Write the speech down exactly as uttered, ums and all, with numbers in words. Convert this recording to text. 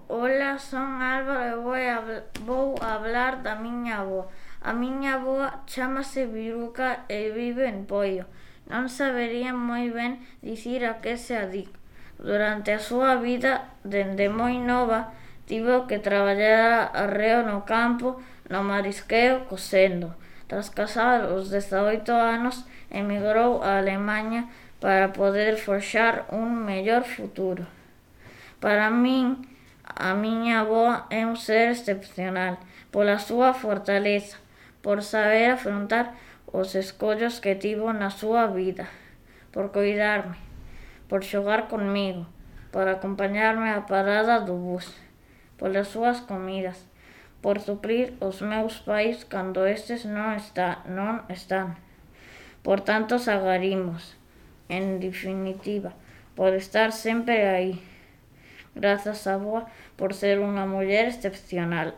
Ola, son Álvaro e vou, habl- vou hablar da miña avó. A miña avoa chámase Biruca e vive en Poio. Non sabería moi ben dicir a que se adica. Durante a súa vida, dende moi nova, tivo que traballar arreo no campo, no marisqueo, cosendo. Tras casar os dezaoito anos, emigrou a Alemaña para poder forxar un mellor futuro. Para min, a miña avoa é un ser excepcional pola súa fortaleza, por saber afrontar os escollos que tivo na súa vida, por coidarme, por xogar comigo, por acompañarme á parada do bus, polas súas comidas, por suplir os meus pais cando estes non, está, non están, por tantos agarimos, en definitiva, por estar sempre aí. Grazas, avoa, por ser unha muller excepcional.